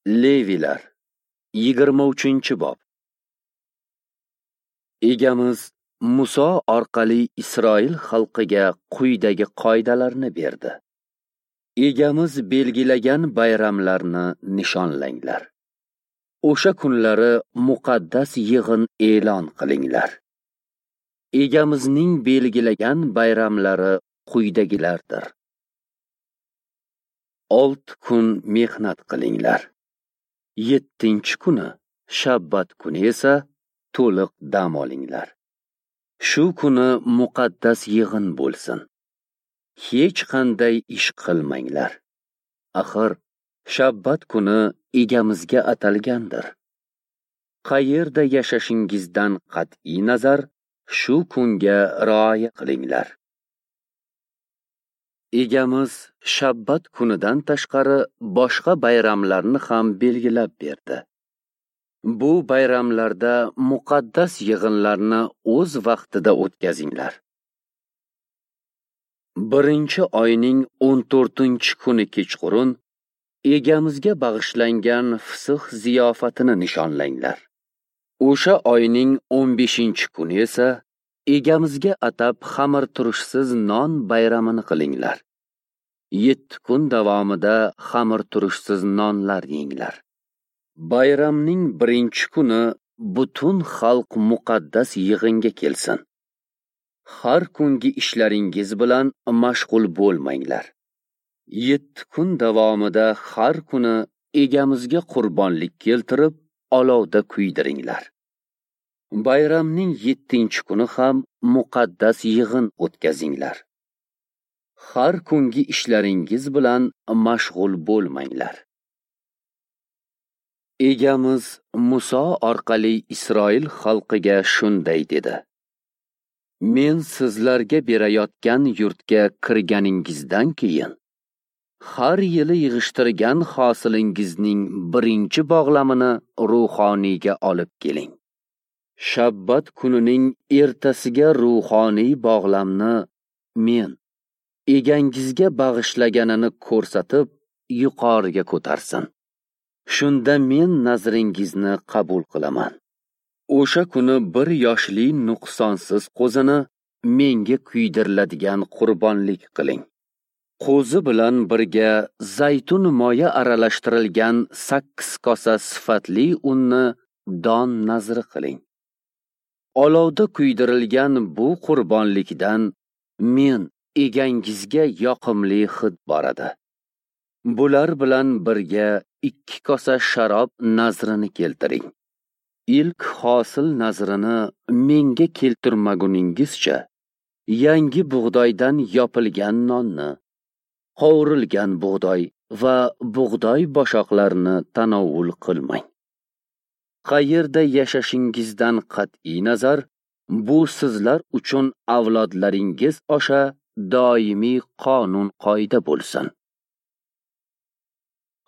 Levilar 23-bob. Egamiz Muso orqali Isroil xalqiga quyidagi qoidalarni berdi. Egamiz belgilagan bayramlarni nishonlanglar. O'sha kunlari muqaddas yig'in e'lon qilinglar. Egamizning belgilagan bayramlari quyidagilardir. 6 kun mehnat qilinglar. 7-kuni shabbat kuni esa to'liq dam olinglar. Shu kuni muqaddas yig'in bo'lsin. Hech qanday ish qilmanglar. Axir shabbat kuni egamizga atalgandir. Qayerda yashashingizdan qat'iy nazar shu kunga rioya qilinglar. Egamiz shabbat kunidan tashqari boshqa bayramlarni ham belgilab berdi. Bu bayramlarda muqaddas yig'inlarni o'z vaqtida o'tkazinglar. 1-oyning 14-kuni kechqurun egamizga bag'ishlangan Fisix ziyofatini nishonlanglar. O'sha oyning 15-kuni esa egamizga atab xamirturushsiz non bayramini qilinglar. 7 kun davomida xamirturushsiz nonlar yenglar. Bayramning 1-kuni butun xalq muqaddas yig'inga kelsin. Har kungi ishlaringiz bilan mashg'ul bo'lmanglar. 7 kun davomida har kuni egamizga qurbonlik keltirib, olovda kuydiringlar. Bayramning 7-kuni ham muqaddas yig'in o'tkazinglar. Har kungi ishlaringiz bilan mashg'ul bo'lmanglar. Egamiz Muso orqali Isroil xalqiga shunday dedi: Men sizlarga berayotgan yurtga kirganingizdan keyin har yili yig'ishtirgan hosilingizning birinchi bog'lamini ruhoniyga olib keling. Shabbat kunining ertasiga ruhoniy bog'lamni men egangizga bag'ishlaganini ko'rsatib yuqoriga ko'tarsin. Shunda men nazringizni qabul qilaman. O'sha kuni 1 yoshli nuqsonsiz qo'zini menga kuydiriladigan qurbonlik qiling. Qo'zi bilan birga zaytun moyi aralashtirilgan 8 kosa sifatli unni don nazri qiling. Olovda kuydirilgan bu qurbonlikdan men egangizga yoqimli hid boradi. Bular bilan birga 2 kosa sharob nazrini keltiring. Ilk hosil nazrini menga keltirmaguningizcha yangi bug'doydan yopilgan nonni, qovurilgan bug'doy va bug'doy boshoqlarini tanovul qilmang. Qayerda yashashingizdan qat'iy nazar, bu sizlar uchun avlodlaringiz osha doimiy qonun qoida bo'lsin.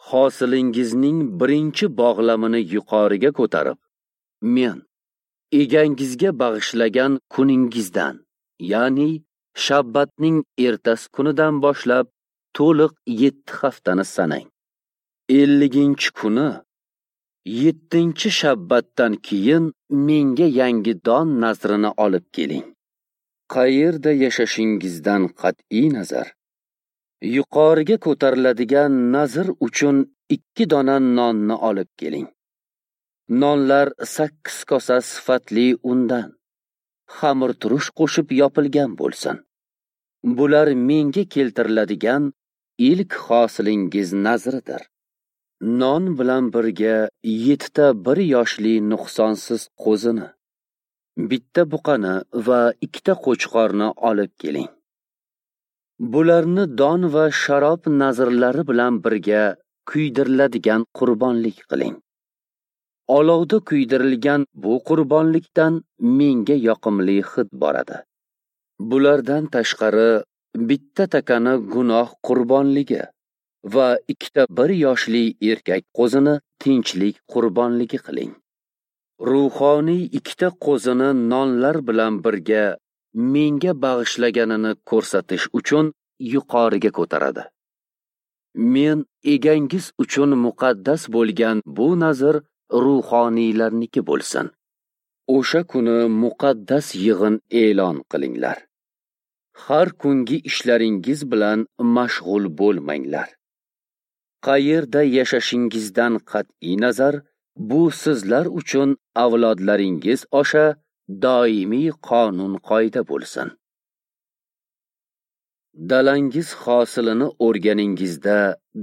Hosilingizning birinchi bog'lamini yuqoriga ko'tarib, men egangizga bag'ishlagan kuningizdan, ya'ni shabbatning ertasi kunidan boshlab to'liq 7 haftani sanang. 50-kuni 7-shabbatdan keyin menga yangi don nazrini olib keling. Qayerda yashashingizdan qat'iy nazar, yuqoriga ko'tariladigan nazr uchun 2 dona nonni olib keling. Nonlar 8 kosa sifatli undan, xamirturush qo'shib yopilgan bo'lsin. Bular menga keltiriladigan ilk hosilingiz nazridir. Non bilan birga 7 ta 1 yoshli nuqsonsiz qo'zini, 1 buqani va 2 ta qo'chqorni olib keling. Bularni don va sharob nazrlari bilan birga kuydiriladigan qurbonlik qiling. Olovda kuydirilgan bu qurbonlikdan menga yoqimli hid boradi. Bulardan tashqari 1 takani gunoh qurbonligi va 2 ta 1 yoshli erkak qo'zini tinchlik qurbonligi qiling. Ruhoniy 2 ta qo'zini nonlar bilan birga menga bag'ishlaganini ko'rsatish uchun yuqoriga ko'taradi. Men egangiz uchun muqaddas bo'lgan bu nazr ruhoniylarniki bo'lsin. O'sha kuni muqaddas yig'in e'lon qilinglar. Har kungi ishlaringiz bilan mashg'ul bo'lmanglar. Qayerda yashashingizdan qat'iy nazar, bu sizlar uchun avlodlaringiz osha doimiy qonun-qoida bo'lsin. Dalangiz hosilini o'rganingizda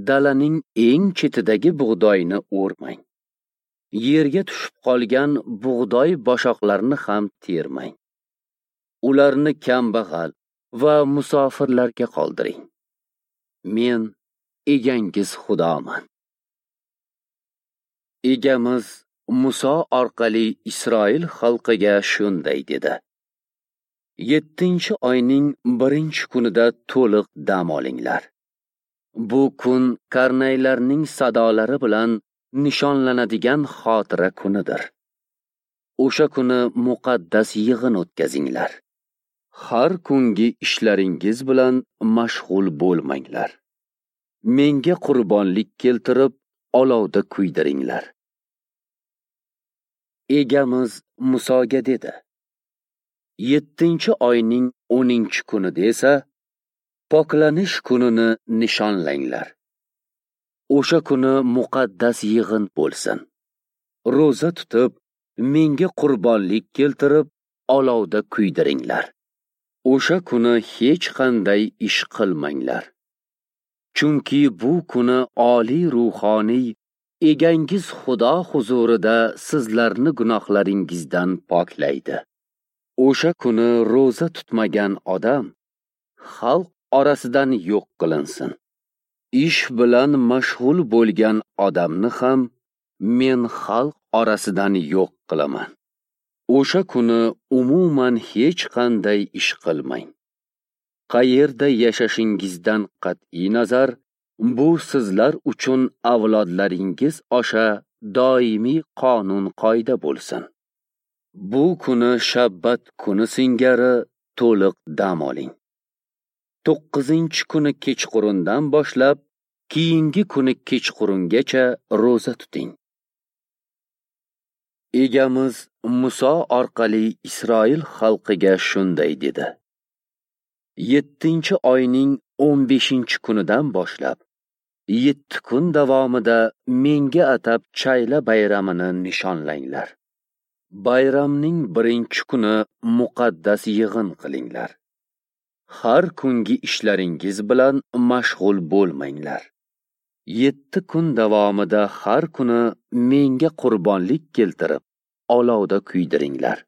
dalaning eng chetidagi bug'doyni o'rmang. Yerga tushib qolgan bug'doy boshoqlarini ham termang. Ularni kambag'al va musofirlarga qoldiring. Men egangiz Xudoman. Egamiz Muso orqali Isroil xalqiga shunday dedi: 7-oyning 1-kunida to'liq dam olinglar. Bu kun karnaylarning sadolari bilan nishonlanadigan xotira kunidir. O'sha kuni muqaddas yig'in o'tkazinglar. Har kungi ishlaringiz bilan mashg'ul bo'lmanglar. Menga qurbonlik keltirib, olovda kuydiringlar. Egamiz Musoga dedi: 7-oyning 10-kunida esa poklanish kunini nishonlanglar. O'sha kuni muqaddas yig'in bo'lsin. Ro'za tutib, menga qurbonlik keltirib, olovda kuydiringlar. O'sha kuni hech qanday ish qilmanglar. Chunki bu kuni oliy ruhoniy egangiz Xudo huzurida sizlarni gunohlaringizdan poklaydi. O'sha kuni ro'za tutmagan odam xalq orasidan yo'q qilinsin. Ish bilan mashg'ul bo'lgan odamni ham men xalq orasidan yo'q qilaman. O'sha kuni umuman hech qanday ish qilmang. Qayerda yashashingizdan qat'iy nazar, bu sizlar uchun avlodlaringiz osha doimiy qonun-qoida bo'lsin. Bu kuni shabbat kuni singari to'liq dam oling. 9-kuni kechqurundan boshlab keyingi kuni kechqurungacha ro'za tuting. Egamiz Muso orqali Isroil xalqiga shunday dedi: 7-oyning 15-kunidan boshlab 7 kun davomida menga atab chayla bayramini nishonlanglar. Bayramning 1-kuni muqaddas yig'in qilinglar. Har kungi ishlaringiz bilan mashg'ul bo'lmanglar. 7 kun davomida har kuni menga qurbonlik keltirib, olovda kuydiringlar.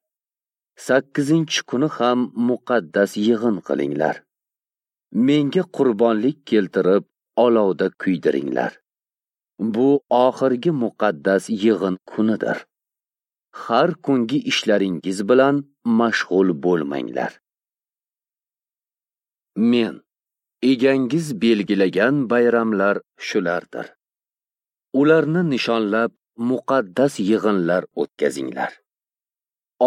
8-kuni ham muqaddas yig'in qilinglar. Menga qurbonlik keltirib, olovda kuydiringlar. Bu oxirgi muqaddas yig'in kunidir. Har kungi ishlaringiz bilan mashg'ul bo'lmanglar. Men egangiz belgilagan bayramlar shulardir. Ularni nishonlab muqaddas yig'inlar o'tkazinglar.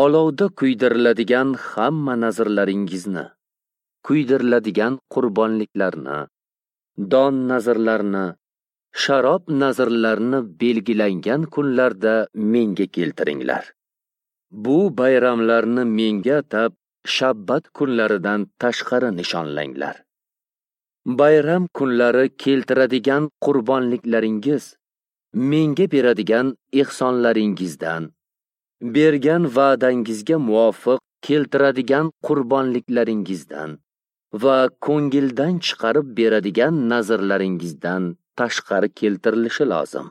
Olovda kuydiriladigan hamma nazrlaringizni, kuydiriladigan qurbonliklarni, don nazrlarini, sharob nazrlarini belgilangan kunlarda menga keltiringlar. Bu bayramlarni menga atab shabbat kunlaridan tashqari nishonlanglar. Bayram kunlari keltiradigan qurbonliklaringiz menga beradigan ehsonlaringizdan, bergan va'dangizga muvofiq keltiradigan qurbonliklaringizdan va ko'ngildan chiqarib beradigan nazrlaringizdan tashqari keltirilishi lozim.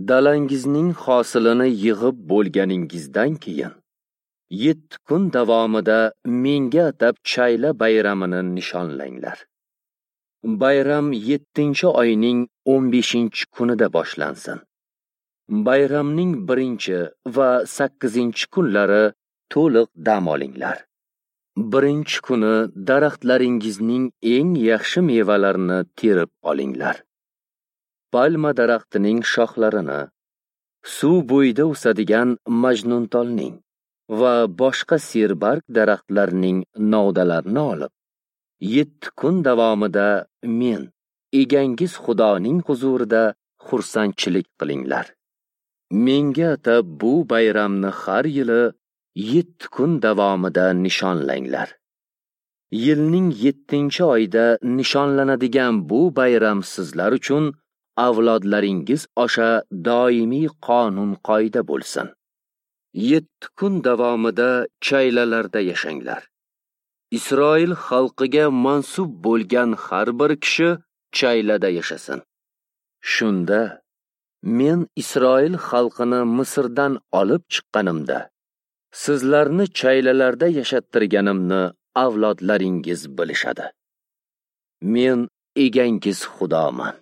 Dalangizning hosilini yig'ib bo'lganingizdan keyin 7 kun davomida menga atab chayla bayramini nishonlanglar. Bayram 7-oyning 15-kunida boshlansin. Bayramning 1 va 8-kunlari to'liq dam olinglar. 1-kuni daraxtlaringizning eng yaxshi mevalarini terib olinglar. Palma daraxtining shoxlarini, suv bo'yida o'sadigan majnuntolning va boshqa serbarg daraxtlarning novdalarini olib, 7 kun davomida men, egangiz Xudoning huzurida xursandchilik qilinglar. Menga atab bu bayramni har yili 7 kun davomida nishonlanglar. Yilning 7-oyida nishonlanadigan bu bayram sizlar uchun avlodlaringiz osha doimiy qonun-qoida bo'lsin. 7 kun davomida chaylalarda yashanglar. Isroil xalqiga mansub bo'lgan har bir kishi chaylada yashasin. Shunda men Isroil xalqini Misrdan olib chiqqanimda, sizlarni chaylalarda yashattirganimni avlodlaringiz bilishadi. Men egangiz Xudoman.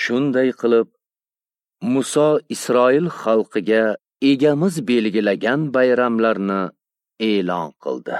Shunday qilib, Muso Isroil xalqiga egamiz belgilagan bayramlarni e'lon qildi.